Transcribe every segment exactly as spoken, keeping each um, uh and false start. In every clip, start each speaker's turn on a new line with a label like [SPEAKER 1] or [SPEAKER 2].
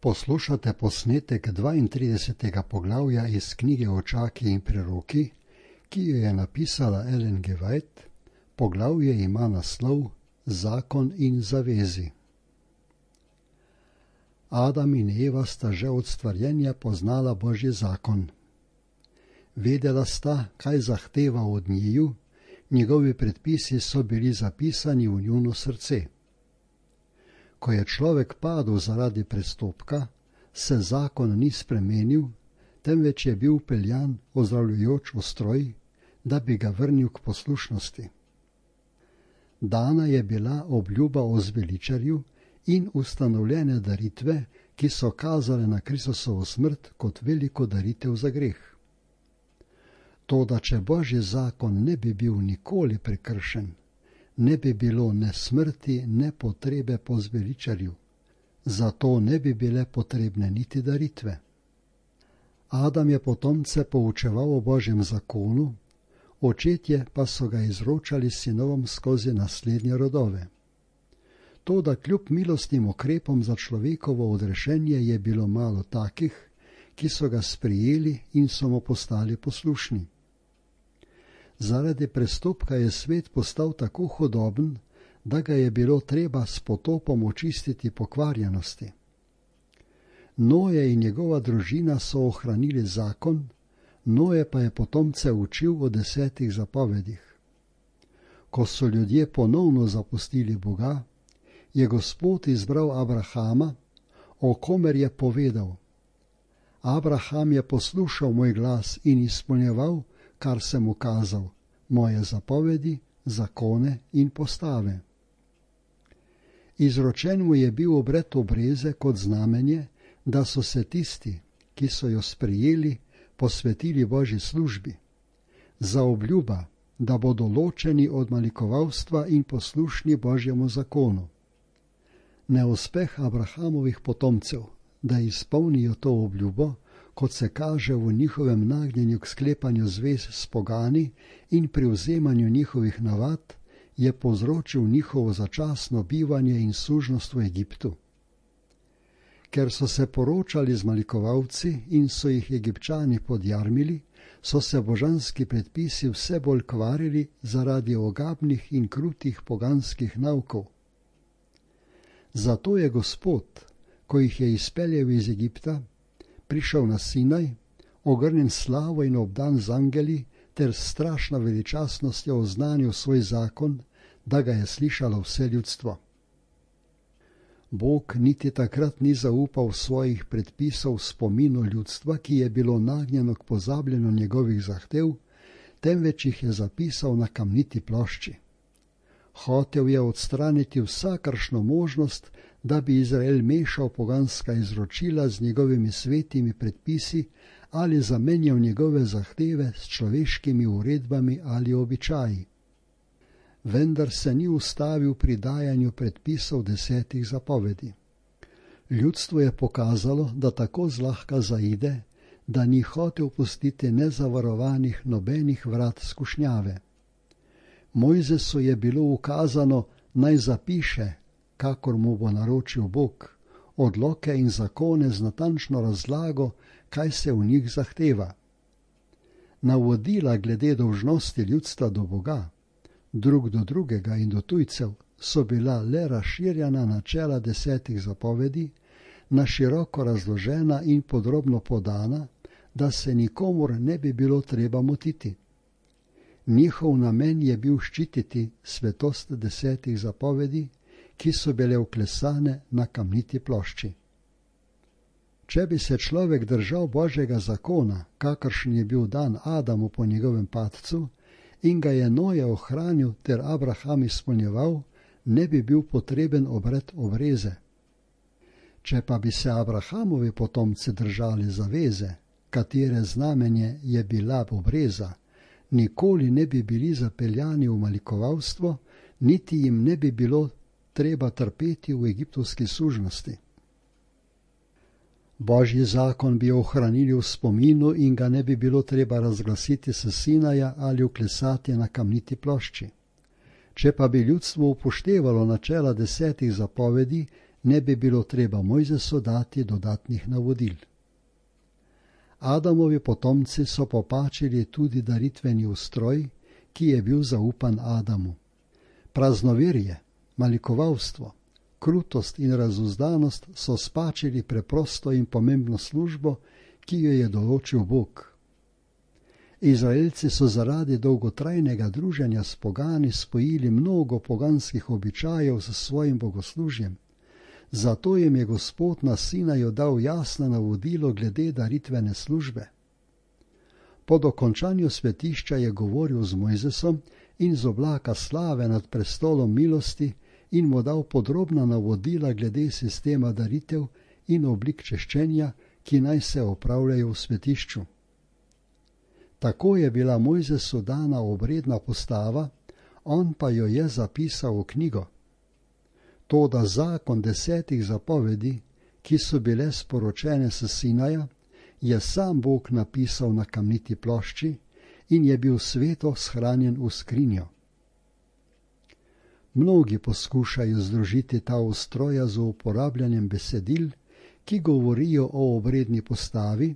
[SPEAKER 1] Poslušate posnetek dvaintridesetega poglavja iz knjige Očaki in preroki, ki jo je napisala Ellen G. White. Poglavje ima naslov Zakon in zavezi. Adam in Eva sta že od stvarjenja poznala Božji zakon. Vedela sta, kaj zahteva od njiju, njegovi predpisi so bili zapisani v njuno srce. Ko je človek padel zaradi prestopka, se zakon ni spremenil, temveč je bil peljan ozdravljujoč ustroj, da bi ga vrnil k poslušnosti. Dana je bila obljuba o zveličarju in ustanovljene daritve, ki so kazale na Kristusovo smrt kot veliko daritev za greh. Toda če Božji zakon ne bi bil nikoli prekršen, ne bi bilo ne smrti, ne potrebe po zveličarju, zato ne bi bile potrebne niti daritve. Adam je potomce poučeval o Božjem zakonu, očetje pa so ga izročali sinovom skozi naslednje rodove. Toda kljub milostnim ukrepom za človekovo odrešenje je bilo malo takih, ki so ga sprijeli in so mu postali poslušni. Zaradi prestopka je svet postal tako hudoben, da ga je bilo treba s potopom očistiti pokvarjenosti. Noje in njegova družina so ohranili zakon, Noje pa je potomce učil o desetih zapovedih. Ko so ljudje ponovno zapustili Boga, je Gospod izbral Abrahama, o komer je povedal: Abraham je poslušal moj glas in izpolnjeval, kar sem mu kazal, moje zapovedi, zakone in postave. Izročen mu je bil obred obreze kot znamenje, da so se tisti, ki so jo sprejeli, posvetili Božji službi, za obljuba, da bodo ločeni od malikovalstva in poslušni Božjemu zakonu. Neuspeh Abrahamovih potomcev, da izpolnijo to obljubo, kot se kaže v njihovem nagnjenju k sklepanju zvez s pogani in pri vzemanju njihovih navad, je povzročil njihovo začasno bivanje in sužnost v Egiptu. Ker so se poročali z malikovalci in so jih Egipčani podjarmili, so se božanski predpisi vse bolj kvarili zaradi ogabnih in krutih poganskih naukov. Zato je Gospod, ko jih je izpeljal iz Egipta, prišel na Sinaj, ogrnjen slavo in obdan z angeli, ter s strašno veličastnostjo oznanil svoj zakon, da ga je slišalo vse ljudstvo. Bog niti takrat ni zaupal svojih predpisov spominu ljudstva, ki je bilo nagnjeno k pozabljanju njegovih zahtev, temveč jih je zapisal na kamniti plošči. Hotel je odstraniti vsakršno možnost, da bi Izrael mešal poganska izročila z njegovimi svetimi predpisi ali zamenjal njegove zahteve s človeškimi uredbami ali običaji. Vendar se ni ustavil pri dajanju predpisov desetih zapovedi. Ljudstvo je pokazalo, da tako zlahka zaide, da ni hotel pustiti nezavarovanih nobenih vrat skušnjave. Mojzesu je bilo ukazano, naj zapiše, kakor mu bo naročil Bog, odloke in zakone z natančno razlago, kaj se v njih zahteva. Navodila glede dolžnosti ljudstva do Boga, drug do drugega in do tujcev, so bila le razširjena načela desetih zapovedi, na široko razložena in podrobno podana, da se nikomur ne bi bilo treba motiti. Njihov namen je bil ščititi svetost desetih zapovedi, ki so bile vklesane na kamniti plošči. Če bi se človek držal Božjega zakona, kakršen je bil dan Adamu po njegovem padcu, in ga je Noje ohranil ter Abraham izpolnjeval, ne bi bil potreben obred obreze. Če pa bi se Abrahamovi potomci držali zaveze, katere znamenje je bila obreza, nikoli ne bi bili zapeljani v malikovalstvo, niti jim ne bi bilo treba trpeti v egiptovski sužnosti. Božji zakon bi ohranili v spominu in ga ne bi bilo treba razglasiti s Sinaja ali vklesati na kamniti plošči. Če pa bi ljudstvo upoštevalo načela desetih zapovedi, ne bi bilo treba Mojzesu dati dodatnih navodil. Adamovi potomci so popačili tudi daritveni ustroj, ki je bil zaupan Adamu. Praznoverje, malikovalstvo, krutost in razuzdanost so spačili preprosto in pomembno službo, ki jo je določil Bog. Izraelci so zaradi dolgotrajnega druženja s pogani spojili mnogo poganskih običajev s svojim bogoslužjem. Zato jim je Gospod na Sinaju dal jasno navodilo glede daritvene službe. Po dokončanju svetišča je govoril z Mojzesom in z oblaka slave nad prestolom milosti in mu dal podrobna navodila glede sistema daritev in oblik češčenja, ki naj se opravljajo v svetišču. Tako je bila Mojzesu dana obredna postava, on pa jo je zapisal v knjigo. Toda zakon desetih zapovedi, ki so bile sporočene s Sinaja, je sam Bog napisal na kamniti plošči in je bil sveto shranjen v skrinjo. Mnogi poskušajo združiti ta ustroja z uporabljanjem besedil, ki govorijo o obredni postavi,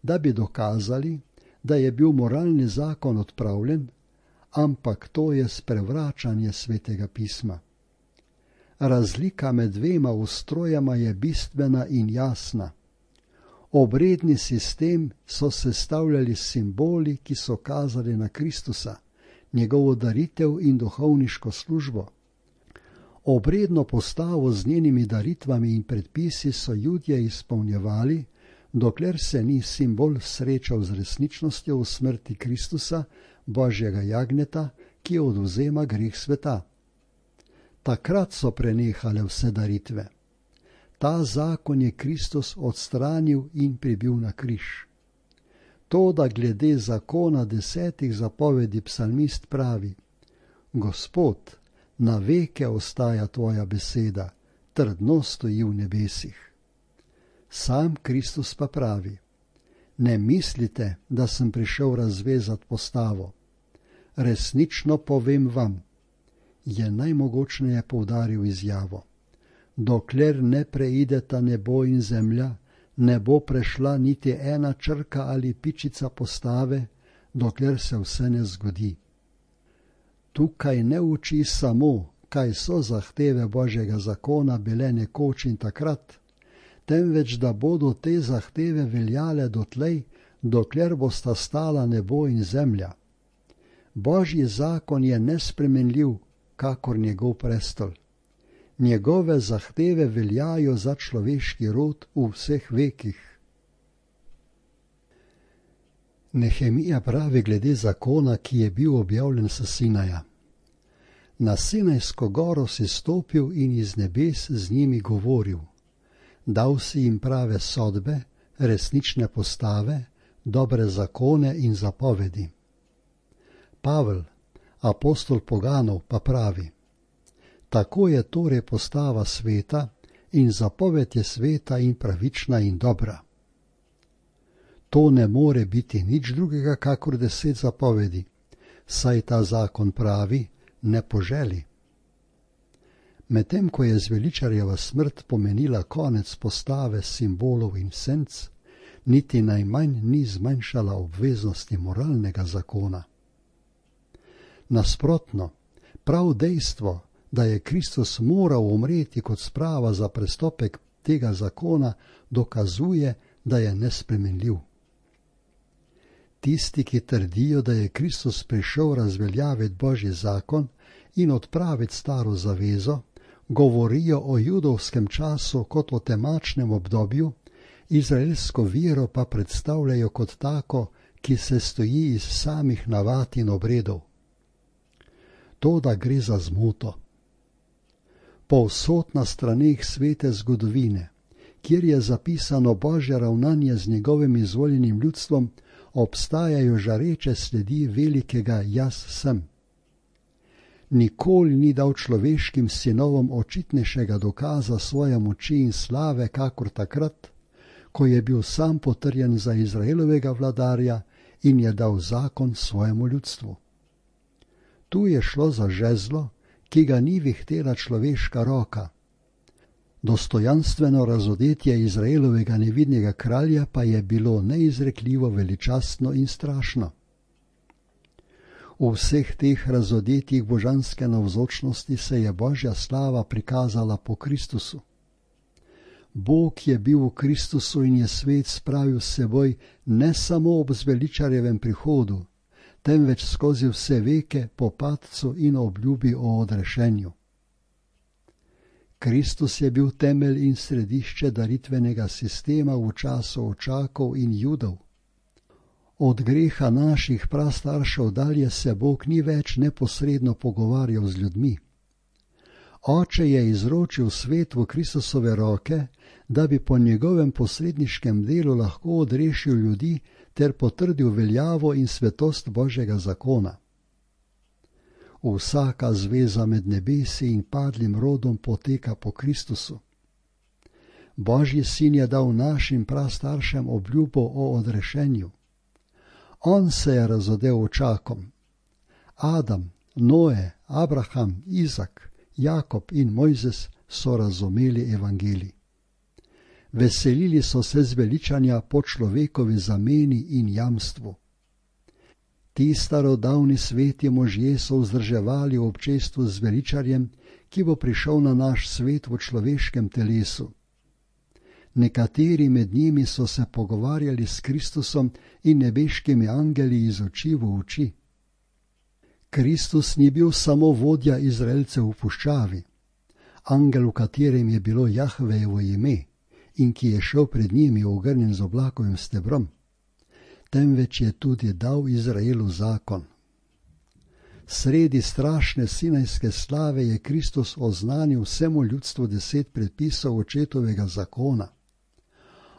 [SPEAKER 1] da bi dokazali, da je bil moralni zakon odpravljen, ampak to je sprevračanje svetega pisma. Razlika med dvema ustrojama je bistvena in jasna. Obredni sistem so sestavljali simboli, ki so kazali na Kristusa, njegovo daritev in duhovniško službo. Obredno postavo z njenimi daritvami in predpisi so Judje izpolnjevali, dokler se ni simbol srečal z resničnostjo v smrti Kristusa, Božjega jagnjeta, ki odvzema greh sveta. Takrat so prenehale vse daritve. Ta zakon je Kristus odstranil in pribil na križ. To, da glede zakona desetih zapovedi psalmist pravi: Gospod, na veke ostaja tvoja beseda, trdno stoji v nebesih. Sam Kristus pa pravi: Ne mislite, da sem prišel razvezati postavo. Resnično povem vam, je najmogočneje poudaril izjavo. Dokler ne preideta nebo in zemlja, ne bo prešla niti ena črka ali pičica postave, dokler se vse ne zgodi. Tukaj ne uči samo, kaj so zahteve Božjega zakona bile nekoč in takrat, temveč da bodo te zahteve veljale dotlej, dokler bosta stala nebo in zemlja. Božji zakon je nespremenljiv, kakor njegov prestol. Njegove zahteve veljajo za človeški rod v vseh vekih. Nehemija pravi glede zakona, ki je bil objavljen s Sinaja. Na Sinajsko goro si stopil in iz nebes z njimi govoril. Dal si jim prave sodbe, resnične postave, dobre zakone in zapovedi. Pavel, apostol poganov, pa pravi: Tako je torej postava sveta in zapoved je sveta in pravična in dobra. To ne more biti nič drugega kakor deset zapovedi, saj ta zakon pravi: ne poželi. Medtem ko je zveličarjeva smrt pomenila konec postave simbolov in senc, niti najmanj ni zmanjšala obveznosti moralnega zakona. Nasprotno, prav dejstvo, da je Kristus moral umreti kot sprava za prestopek tega zakona, dokazuje, da je nespremenljiv. Tisti, ki trdijo, da je Kristus prišel razveljaviti Božji zakon in odpraviti staro zavezo, govorijo o judovskem času kot o temačnem obdobju, izraelsko vero pa predstavljajo kot tako, ki se stoji iz samih navad in obredov. To, da gre za zmoto. Povsod na straneh svete zgodovine, kjer je zapisano Božje ravnanje z njegovim izvoljenim ljudstvom, obstajajo žareče sledi velikega jaz sem. Nikoli ni dal človeškim sinovom očitnejšega dokaza svoje moči in slave, kakor takrat, ko je bil sam potrjen za Izraelovega vladarja in je dal zakon svojemu ljudstvu. Tu je šlo za žezlo, ki ga ni vihtela človeška roka. Dostojanstveno razodetje Izraelovega nevidnega kralja pa je bilo neizrekljivo veličastno in strašno. V vseh teh razodetjih božanske navzočnosti se je Božja slava prikazala po Kristusu. Bog je bil v Kristusu in je svet spravil s seboj ne samo ob zveličarjevem prihodu, temveč skozi vse veke po padcu in obljubi o odrešenju. Kristus je bil temelj in središče daritvenega sistema v času Očakov in Judov. Od greha naših prastaršev dalje se Bog ni več neposredno pogovarjal z ljudmi. Oče je izročil svet v Kristusove roke, da bi po njegovem posredniškem delu lahko odrešil ljudi ter potrdil veljavo in svetost Božjega zakona. Vsaka zveza med nebesi in padlim rodom poteka po Kristusu. Božji sin je dal našim prastaršem obljubo o odrešenju. On se je razodel očakom. Adam, Noe, Abraham, Izak, Jakob in Mojzes so razumeli evangelij. Veselili so se zveličanja po človekovi zameni in jamstvu. Ti starodavni sveti možje so vzdrževali v občestvu z veličarjem, ki bo prišel na naš svet v človeškem telesu. Nekateri med njimi so se pogovarjali s Kristusom in nebeškimi angeli iz oči v oči. Kristus ni bil samo vodja Izraelcev v puščavi, angel, v katerem je bilo Jahvejevo ime in ki je šel pred njimi ogrnjen z oblakovim stebrom, temveč je tudi dal Izraelu zakon. Sredi strašne sinajske slave je Kristus oznanil vsemu ljudstvu deset predpisov očetovega zakona.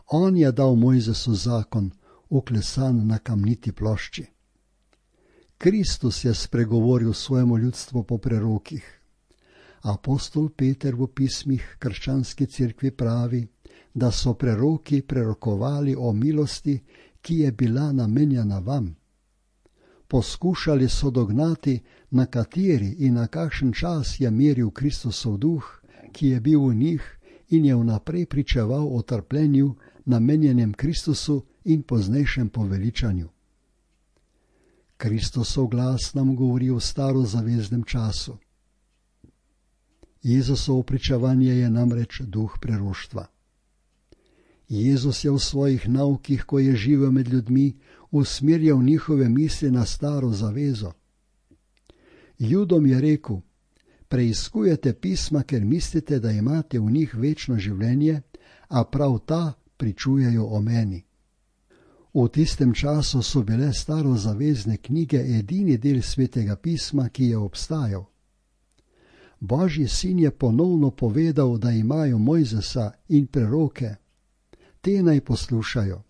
[SPEAKER 1] On je dal Mojzesu zakon, uklesan na kamniti plošči. Kristus je spregovoril svojemu ljudstvu po prerokih. Apostol Peter v pismih krščanski cerkvi pravi, da so preroki prerokovali o milosti, ki je bila namenjena vam. Poskušali so dognati, na kateri in na kakšen čas je meril Kristusov duh, ki je bil v njih in je vnaprej pričeval o trpljenju, namenjenem Kristusu in poznejšem poveličanju. Kristusov glas nam govori o starozaveznem času. Jezusovo pričevanje je namreč duh preroštva. Jezus je v svojih naukih, ko je živel med ljudmi, usmerjal njihove misli na staro zavezo. Judom je rekel: preiskujete pisma, ker mislite, da imate v njih večno življenje, a prav ta pričujejo o meni. V tistem času so bile starozavezne knjige edini del svetega pisma, ki je obstajal. Božji sin je ponovno povedal, da imajo Mojzesa in preroke, te naj poslušajo.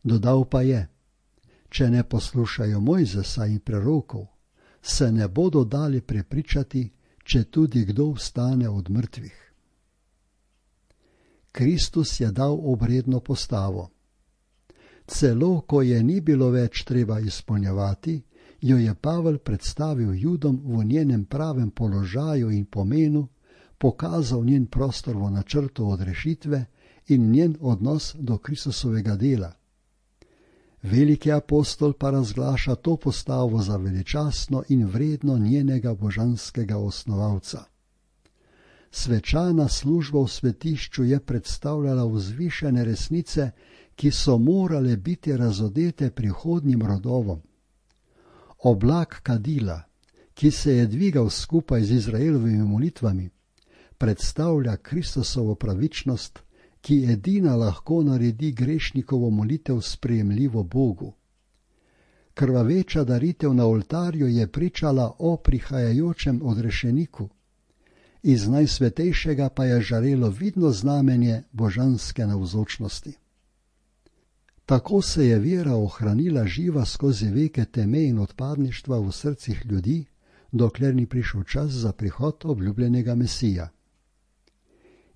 [SPEAKER 1] Dodal pa je: če ne poslušajo Mojzesa in prerokov, se ne bodo dali prepričati, če tudi kdo vstane od mrtvih. Kristus je dal obredno postavo. Celo, ko je ni bilo več treba izpolnjevati, jo je Pavel predstavil Judom v njenem pravem položaju in pomenu, pokazal njen prostor v načrtu odrešitve in njen odnos do Kristusovega dela. Veliki apostol pa razglaša to postavo za veličastno in vredno njenega božanskega osnovalca. Svečana služba v svetišču je predstavljala vzvišene resnice, ki so morale biti razodete prihodnjim rodovom. Oblak kadila, ki se je dvigal skupaj z Izraelovimi molitvami, predstavlja Kristusovo pravičnost, ki edina lahko naredi grešnikovo molitev sprejemljivo Bogu. Krvaveča daritev na oltarju je pričala o prihajajočem odrešeniku. Iz najsvetejšega pa je žarelo vidno znamenje božanske navzočnosti. Tako se je vera ohranila živa skozi veke teme in odpadništva v srcih ljudi, dokler ni prišel čas za prihod obljubljenega Mesija.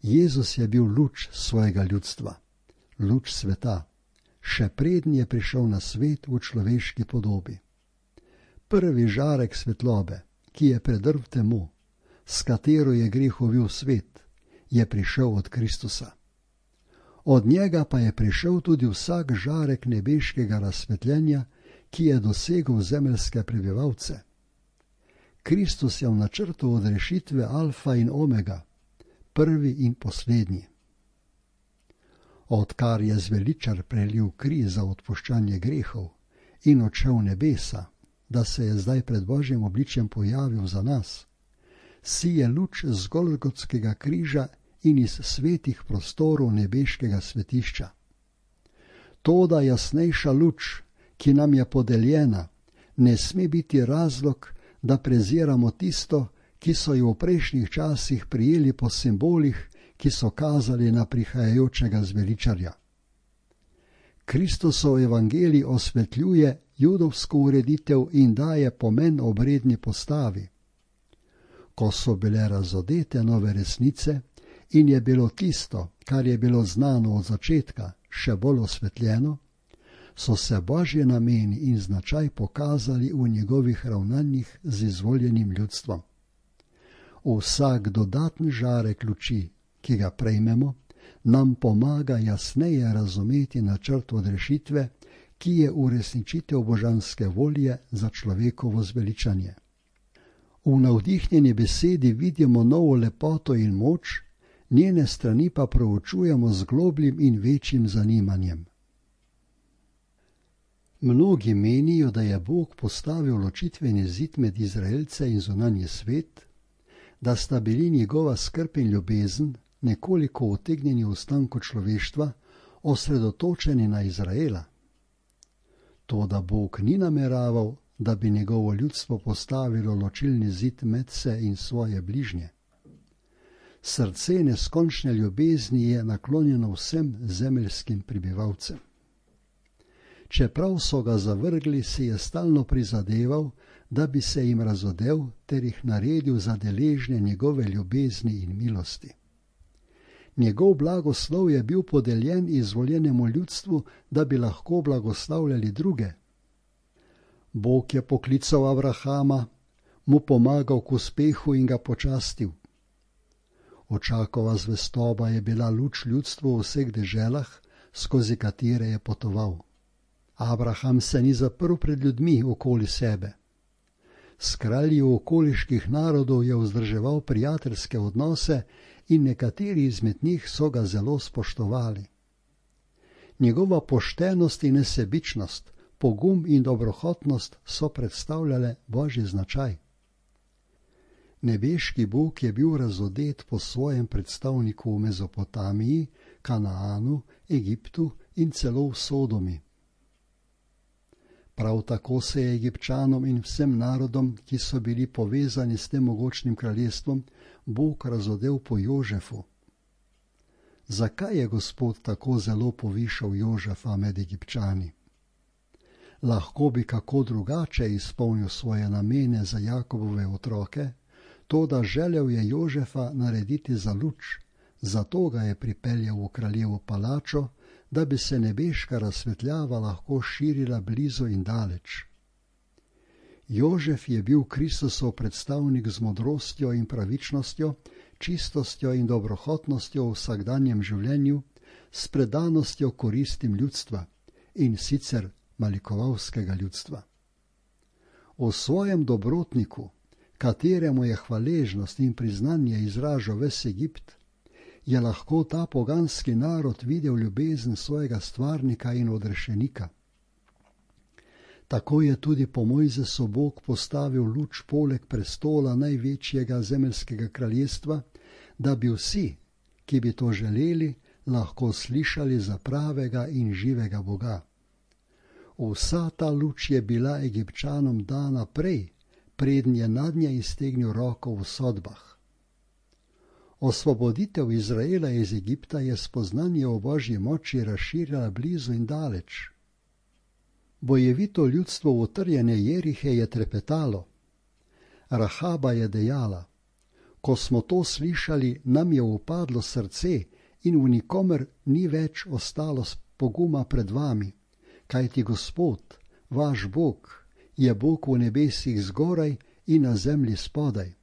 [SPEAKER 1] Jezus je bil luč svojega ljudstva, luč sveta, še preden je prišel na svet v človeški podobi. Prvi žarek svetlobe, ki je predrl temu, s katero je greh ovil svet, je prišel od Kristusa. Od njega pa je prišel tudi vsak žarek nebeškega razsvetljenja, ki je dosegel zemeljske prebivalce. Kristus je v načrtu odrešitve alfa in omega, prvi in poslednji. Odkar je zveličar prelil kri za odpuščanje grehov in odšel v nebesa, da se je zdaj pred Božjim obličjem pojavil za nas, sije luč z Golgotskega križa in iz svetih prostorov nebeškega svetišča. Toda jasnejša luč, ki nam je podeljena, ne sme biti razlog, da preziramo tisto, ki so jo v prejšnjih časih prijeli po simbolih, ki so kazali na prihajajočega zveličarja. Kristusov evangelij osvetljuje judovsko ureditev in daje pomen obredni postavi. Ko so bile razodete nove resnice in je bilo tisto, kar je bilo znano od začetka, še bolj osvetljeno, so se Božji nameni in značaj pokazali v njegovih ravnanjih z izvoljenim ljudstvom. Vsak dodatni žarek luči, ki ga prejmemo, nam pomaga jasneje razumeti načrt odrešitve, ki je uresničitev božanske volje za človekovo zveličanje. V navdihnjeni besedi vidimo novo lepoto in moč, njene strani pa proučujemo z globljim in večjim zanimanjem. Mnogi menijo, da je Bog postavil ločitveni zid med Izraelce in zunanji svet, da sta bili njegova skrb in ljubezen, nekoliko utegnjeni v ostanku človeštva, osredotočeni na Izraela. Toda Bog ni nameraval, da bi njegovo ljudstvo postavilo ločilni zid med se in svoje bližnje. Srce neskončne ljubezni je naklonjeno vsem zemeljskim prebivalcem. Čeprav so ga zavrgli, si je stalno prizadeval, da bi se jim razodel ter jih naredil za deležne njegove ljubezni in milosti. Njegov blagoslov je bil podeljen izvoljenemu ljudstvu, da bi lahko blagoslavljali druge. Bog je poklical Abrahama, mu pomagal k uspehu in ga počastil. Očakova zvestoba je bila luč ljudstvu v vseh deželah, skozi katere je potoval. Abraham se ni zaprl pred ljudmi okoli sebe. S kralji okoliških narodov je vzdrževal prijateljske odnose in nekateri izmed njih so ga zelo spoštovali. Njegova poštenost in nesebičnost, pogum in dobrohotnost so predstavljale Božji značaj. Nebeški Bog je bil razodet po svojem predstavniku v Mezopotamiji, Kanaanu, Egiptu in celo v Sodomi. Prav tako se je Egipčanom in vsem narodom, ki so bili povezani s tem mogočnim kraljestvom, Bog razodel po Jožefu. Zakaj je Gospod tako zelo povišal Jožefa med Egipčani? Lahko bi kako drugače izpolnil svoje namene za Jakobove otroke, toda želel je Jožefa narediti za luč, zato ga je pripeljal v kraljevo palačo, da bi se nebeška razsvetljava lahko širila blizu in daleč. Jožef je bil Kristusov predstavnik z modrostjo in pravičnostjo, čistostjo in dobrohotnostjo v vsakdanjem življenju, s predanostjo koristim ljudstva in sicer malikovalskega ljudstva. O svojem dobrotniku, kateremu je hvaležnost in priznanje izražal ves Egipt, je lahko ta poganski narod videl ljubezen svojega stvarnika in odrešenika. Tako je tudi po Mojzesu Bog postavil luč poleg prestola največjega zemeljskega kraljestva, da bi vsi, ki bi to želeli, lahko slišali za pravega in živega Boga. Vsa ta luč je bila Egipčanom dana prej, preden je nadnje iztegnil roko v sodbah. Osvoboditev Izraela iz Egipta je spoznanje o Božji moči razširila blizu in daleč. Bojevito ljudstvo utrjene Jerihe je trepetalo. Rahaba je dejala: ko smo to slišali, nam je upadlo srce in v nikomer ni več ostalo poguma pred vami, kajti Gospod, vaš Bog, je Bog v nebesih zgoraj in na zemlji spodaj.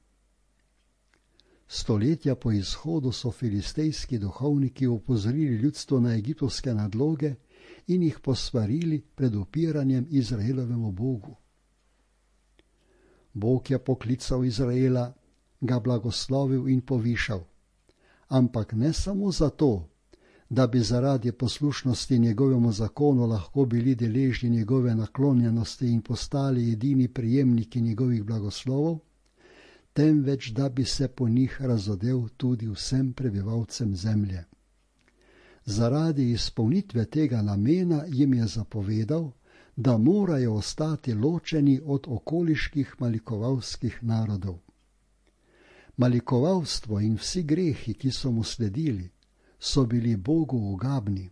[SPEAKER 1] Stoletja po izhodu so filistejski duhovniki opozorili ljudstvo na egiptovske nadloge in jih posvarili pred upiranjem Izraelovemu Bogu. Bog je poklical Izraela, ga blagoslovil in povišal, ampak ne samo zato, da bi zaradi poslušnosti njegovemu zakonu lahko bili deležni njegove naklonjenosti in postali edini prejemniki njegovih blagoslovov, temveč da bi se po njih razodel tudi vsem prebivalcem zemlje. Zaradi izpolnitve tega namena jim je zapovedal, da morajo ostati ločeni od okoliških malikovalskih narodov. Malikovalstvo in vsi grehi, ki so mu sledili, so bili Bogu ugabni.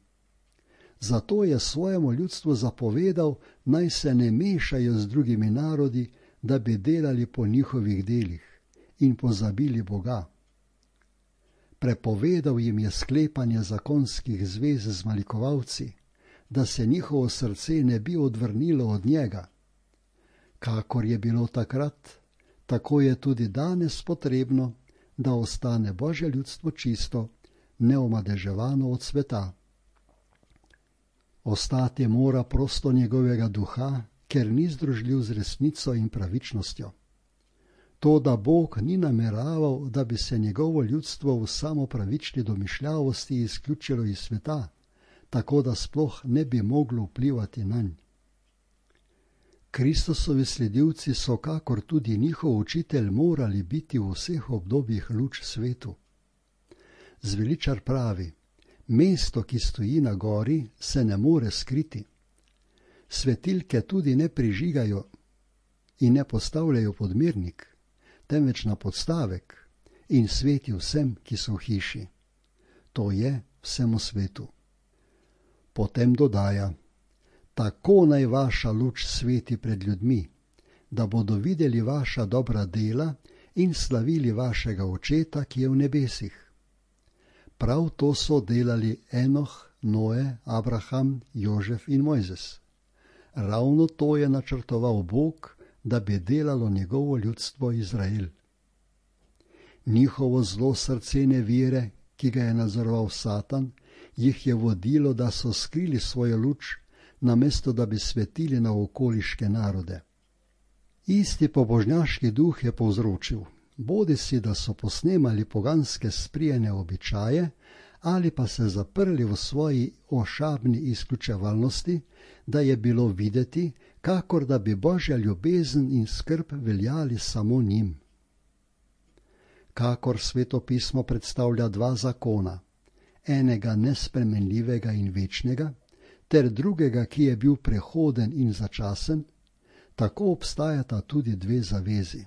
[SPEAKER 1] Zato je svojemu ljudstvu zapovedal, naj se ne mešajo z drugimi narodi, da bi delali po njihovih delih in pozabili Boga. Prepovedal jim je sklepanje zakonskih zvez z malikovalci, da se njihovo srce ne bi odvrnilo od njega. Kakor je bilo takrat, tako je tudi danes potrebno, da ostane Božje ljudstvo čisto, neomadeževano od sveta. Ostati mora prosto njegovega duha, ker ni združljiv z resnico in pravičnostjo. To, da Bog ni nameraval, da bi se njegovo ljudstvo v samopravični domišljavosti izključilo iz sveta, tako da sploh ne bi moglo vplivati nanj. Kristusovi sledilci so, kakor tudi njihov učitelj, morali biti v vseh obdobjih luč svetu. Zveličar pravi, mesto, ki stoji na gori, se ne more skriti. Svetilke tudi ne prižigajo in ne postavljajo pod mirnik, temveč na podstavek in sveti vsem, ki so v hiši. To je vsemu svetu. Potem dodaja, tako naj vaša luč sveti pred ljudmi, da bodo videli vaša dobra dela in slavili vašega Očeta, ki je v nebesih. Prav to so delali Enoh, Noe, Abraham, Jožef in Mojzes. Ravno to je načrtoval Bog, da bi delalo njegovo ljudstvo Izrael. Njihovo zlo srce nevire, ki ga je nadzoroval Satan, jih je vodilo, da so skrili svojo luč, namesto da bi svetili na okoliške narode. Isti pobožnjaški duh je povzročil, bodisi da so posnemali poganske sprijene običaje, ali pa se zaprli v svoji ošabni izključevalnosti, da je bilo videti, kakor da bi Božja ljubezen in skrb veljali samo njim. Kakor Sveto pismo predstavlja dva zakona, enega nespremenljivega in večnega, ter drugega, ki je bil prehoden in začasen, tako obstajata tudi dve zavezi.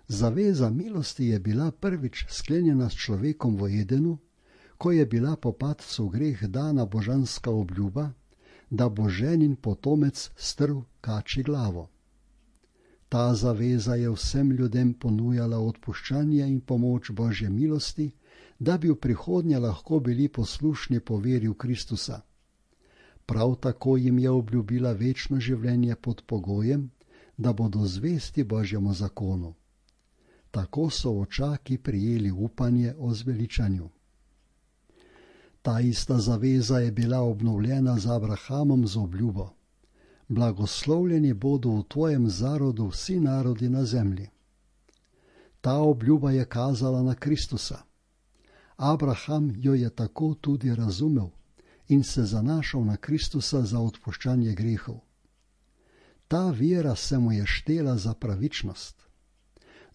[SPEAKER 1] Zaveza milosti je bila prvič sklenjena s človekom v Edenu, ko je bila po padcu v greh dana božanska obljuba, da bo ženin potomec strl kači glavo. Ta zaveza je vsem ljudem ponujala odpuščanje in pomoč Božje milosti, da bi v prihodnje lahko bili poslušni po veri v Kristusa. Prav tako jim je obljubila večno življenje pod pogojem, da bodo zvesti Božjemu zakonu. Tako so očaki prijeli upanje o zveličanju. Ta ista zaveza je bila obnovljena z Abrahamom z obljubo. Blagoslovljeni bodo v tvojem zarodu vsi narodi na zemlji. Ta obljuba je kazala na Kristusa. Abraham jo je tako tudi razumel in se zanašal na Kristusa za odpuščanje grehov. Ta vera se mu je štela za pravičnost.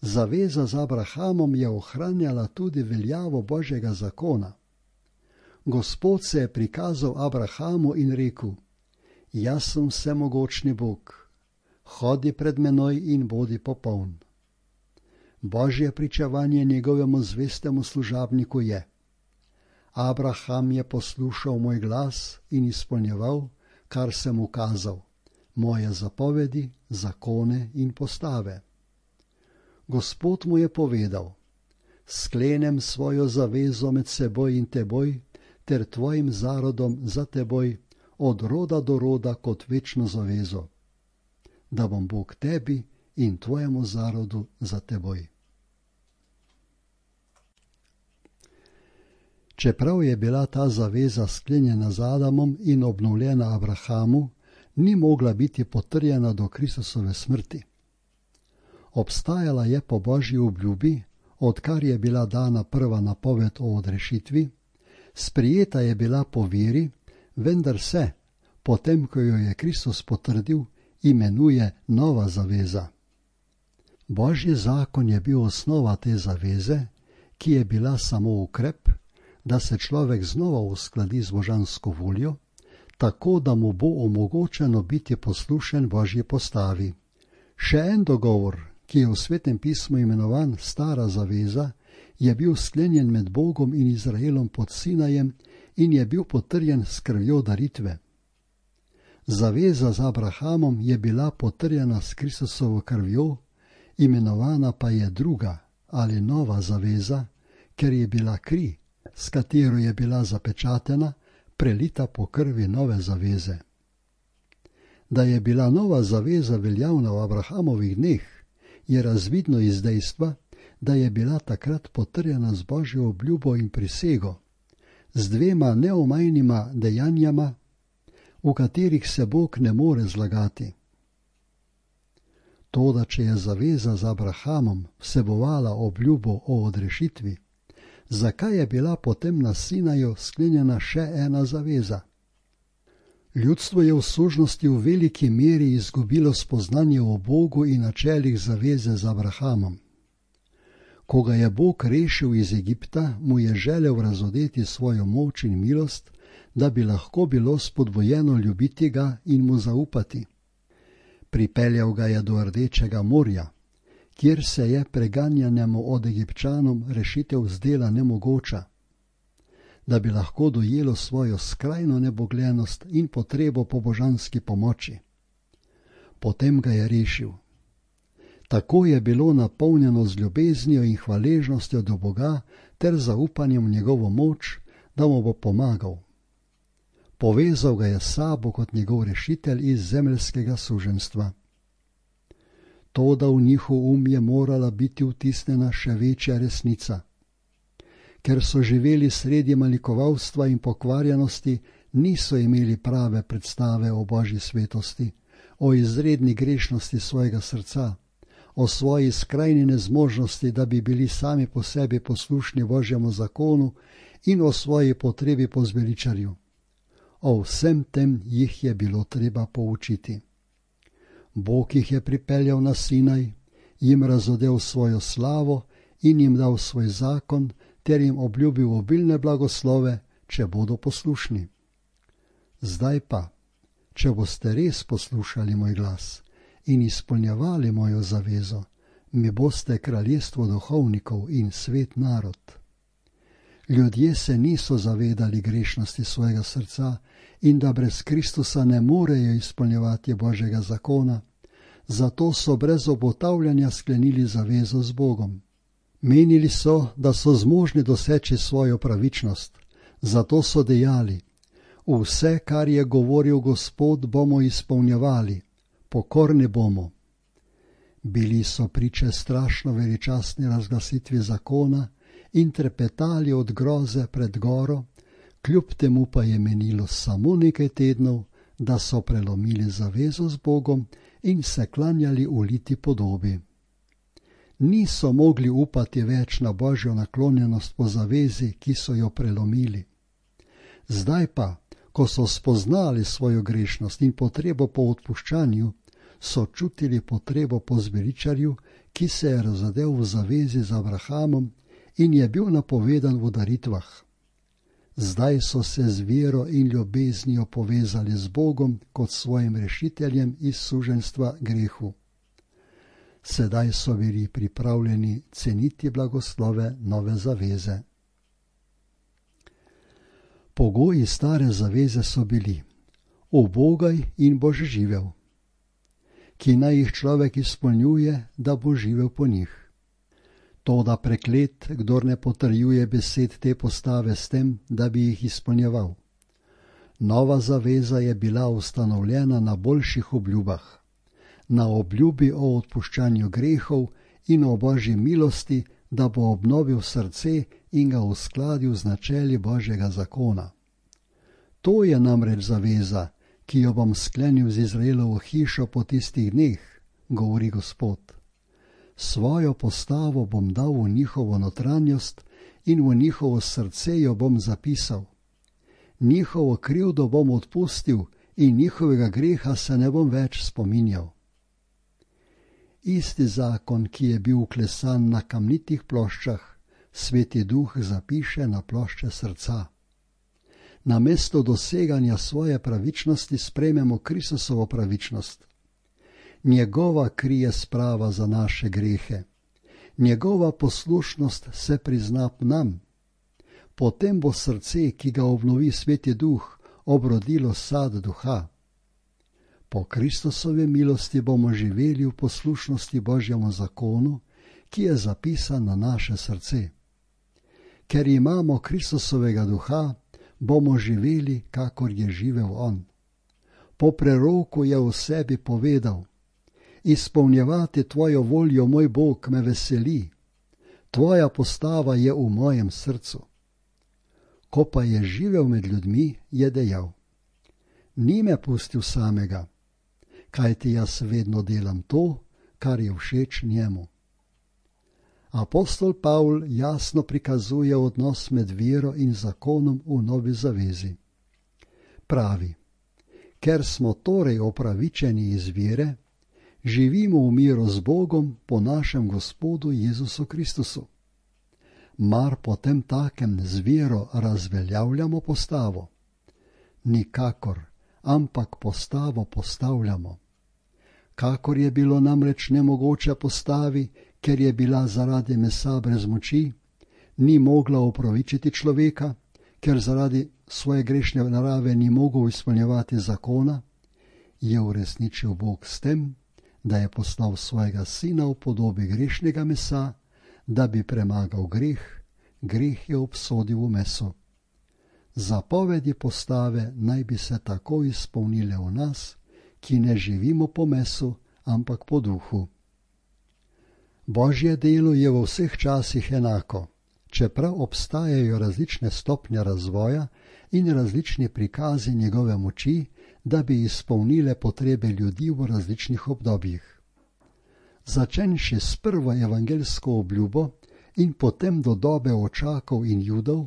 [SPEAKER 1] Zaveza z Abrahamom je ohranjala tudi veljavo Božjega zakona. Gospod se je prikazal Abrahamu in rekel, jaz sem vsemogočni Bog, hodi pred menoj in bodi popoln. Božje pričevanje njegovemu zvestemu služabniku je, Abraham je poslušal moj glas in izpolnjeval, kar sem mu kazal, moje zapovedi, zakone in postave. Gospod mu je povedal, sklenem svojo zavezo med seboj in teboj, ter tvojim zarodom za teboj, od roda do roda kot večno zavezo, da bom Bog tebi in tvojemu zarodu za teboj. Čeprav je bila ta zaveza sklenjena z Adamom in obnovljena Abrahamu, ni mogla biti potrjena do Kristusove smrti. Obstajala je po Božji obljubi, odkar je bila dana prva napoved o odrešitvi, sprijeta je bila po veri, vendar se, potem ko jo je Kristus potrdil, imenuje nova zaveza. Božji zakon je bil osnova te zaveze, ki je bila samo ukrep, da se človek znova uskladi z božansko voljo, tako da mu bo omogočeno biti poslušen Božji postavi. Še en dogovor, ki je v Svetem pismu imenovan Stara zaveza, je bil sklenjen med Bogom in Izraelom pod Sinajem in je bil potrjen s krvjo daritve. Zaveza z Abrahamom je bila potrjena s Kristusovo krvjo, imenovana pa je druga ali nova zaveza, ker je bila kri, s katero je bila zapečatena, prelita po krvi nove zaveze. Da je bila nova zaveza veljavna v Abrahamovih dneh, je razvidno iz dejstva, da je bila takrat potrjena z Božjo obljubo in prisego, z dvema neomajnima dejanjama, v katerih se Bog ne more zlagati. Toda, če je zaveza z Abrahamom vsebovala obljubo o odrešitvi, zakaj je bila potem na Sinaju sklenjena še ena zaveza? Ljudstvo je v služnosti v veliki meri izgubilo spoznanje o Bogu in načelih zaveze z Abrahamom. Ko ga je Bog rešil iz Egipta, mu je želel razodeti svojo moč in milost, da bi lahko bilo spodbujeno ljubiti ga in mu zaupati. Pripeljal ga je do Rdečega morja, kjer se je preganjanemu od Egipčanom rešitev zdela nemogoča, da bi lahko dojelo svojo skrajno nebogljenost in potrebo po božanski pomoči. Potem ga je rešil. Tako je bilo napolnjeno z ljubeznijo in hvaležnostjo do Boga ter zaupanjem v njegovo moč, da mu bo pomagal. Povezal ga je s sabo kot njegov rešitelj iz zemeljskega suženjstva. Toda v njihov um je morala biti vtisnjena še večja resnica. Ker so živeli sredi malikovalstva in pokvarjenosti, niso imeli prave predstave o Božji svetosti, o izredni grešnosti svojega srca, o svoji skrajni nezmožnosti, da bi bili sami po sebi poslušni Božjemu zakonu in o svoji potrebi po zveličarju. O vsem tem jih je bilo treba poučiti. Bog jih je pripeljal na Sinaj, jim razodel svojo slavo in jim dal svoj zakon, ter jim obljubil obilne blagoslove, če bodo poslušni. Zdaj pa, če boste res poslušali moj glas in izpolnjevali mojo zavezo, mi boste kraljestvo duhovnikov in svet narod. Ljudje se niso zavedali grešnosti svojega srca in da brez Kristusa ne morejo izpolnjevati Božjega zakona, zato so brez obotavljanja sklenili zavezo z Bogom. Menili so, da so zmožni doseči svojo pravičnost, zato so dejali: vse, kar je govoril Gospod, bomo izpolnjevali, pokorni bomo. Bili so priče strašno veličastni razglasitvi zakona in trepetali od groze pred goro, kljub temu pa je menilo samo nekaj tednov, da so prelomili zavezo z Bogom in se klanjali uliti podobi. Niso mogli upati več na Božjo naklonjenost po zavezi, ki so jo prelomili. Zdaj pa, ko so spoznali svojo grešnost in potrebo po odpuščanju, so čutili potrebo po zveličarju, ki se je razodel v zavezi z Abrahamom in je bil napovedan v daritvah. Zdaj so se z vero in ljubeznijo povezali z Bogom kot svojim rešiteljem iz suženjstva grehu. Sedaj so bili pripravljeni ceniti blagoslove nove zaveze. Pogoji stare zaveze so bili: ubogaj in boš živel, ki naj jih človek izpolnjuje, da bo živel po njih. Toda preklet, kdor ne potrjuje besed te postave s tem, da bi jih izpolnjeval. Nova zaveza je bila ustanovljena na boljših obljubah, na obljubi o odpuščanju grehov in o Božji milosti da bo obnovil srce in ga uskladil z načeli Božjega zakona. To je namreč zaveza, ki jo bom sklenil z Izraelovo hišo po tistih dneh, govori Gospod. Svojo postavo bom dal v njihovo notranjost in v njihovo srce jo bom zapisal. Njihovo krivdo bom odpustil in njihovega greha se ne bom več spominjal. Isti zakon, ki je bil vklesan na kamnitih ploščah, Sveti Duh zapiše na plošče srca. Namesto doseganja svoje pravičnosti sprejmemo Kristusovo pravičnost. Njegova kri je sprava za naše grehe. Njegova poslušnost se prizna nam. Potem bo srce, ki ga obnovi Sveti Duh, obrodilo sad duha. Po Kristusovi milosti bomo živeli v poslušnosti Božjemu zakonu, ki je zapisan na naše srce. Ker imamo Kristusovega duha, bomo živeli, kakor je živel on. Po preroku je v sebi povedal: Izpolnjevati tvojo voljo, moj Bog, me veseli. Tvoja postava je v mojem srcu. Ko pa je živel med ljudmi, je dejal: Ni me pustil samega, kajti jaz vedno delam to, kar je všeč njemu. Apostol Pavl jasno prikazuje odnos med vero in zakonom v Novi zavezi. Pravi: Ker smo torej opravičeni iz vere, živimo v miru z Bogom po našem Gospodu Jezusu Kristusu. Mar potem takem z vero razveljavljamo postavo? Nikakor, ampak postavo postavljamo. Kakor je bilo namreč nemogoče postavi, ker je bila zaradi mesa brez moči, ni mogla opravičiti človeka, ker zaradi svoje grešne narave ni mogel izpolnjevati zakona, je uresničil Bog s tem, da je poslal svojega sina v podobi grešnega mesa, da bi premagal greh, greh je obsodil v meso. Zapovedi postave naj bi se tako izpolnile v nas, ki ne živimo po mesu, ampak po duhu. Božje delo je v vseh časih enako, čeprav obstajajo različne stopnje razvoja in različni prikazi njegove moči, da bi izpolnile potrebe ljudi v različnih obdobjih. Začenši s prvo evangeljsko obljubo in potem do dobe očakov in Judov,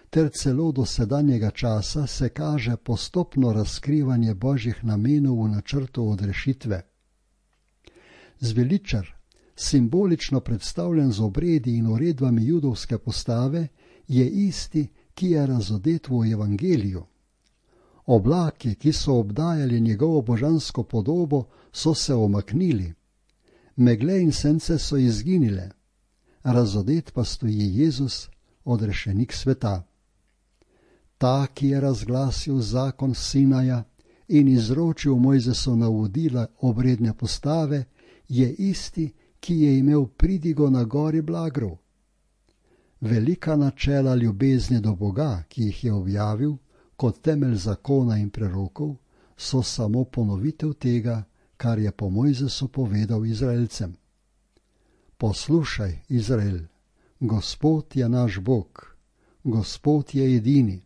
[SPEAKER 1] ter celo do sedanjega časa se kaže postopno razkrivanje Božjih namenov v načrtu odrešitve. Zveličar, simbolično predstavljen z obredi in uredbami judovske postave, je isti, ki je razodet v evangeliju. Oblaki, ki so obdajali njegovo božansko podobo, so se omaknili. Megle in sence so izginile. Razodet pa stoji Jezus, odrešenik sveta. Ta, ki je razglasil zakon Sinaja in izročil Mojzesu navodila obredne postave, je isti, ki je imel pridigo na gori Blagrov. Velika načela ljubezni do Boga, ki jih je objavil kot temelj zakona in prerokov, so samo ponovitev tega, kar je po Mojzesu povedal Izraelcem. Poslušaj, Izrael, Gospod je naš Bog, Gospod je edini.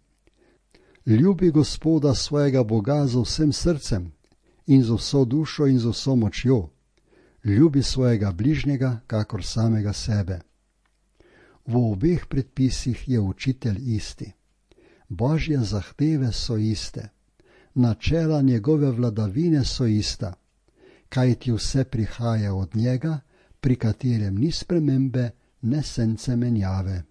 [SPEAKER 1] Ljubi Gospoda svojega Boga z vsem srcem in z vso dušo in z vso močjo. Ljubi svojega bližnjega, kakor samega sebe. V obeh predpisih je učitelj isti. Božje zahteve so iste. Načela njegove vladavine so ista, kajti vse prihaja od njega, pri katerem ni spremembe, ne sence menjave.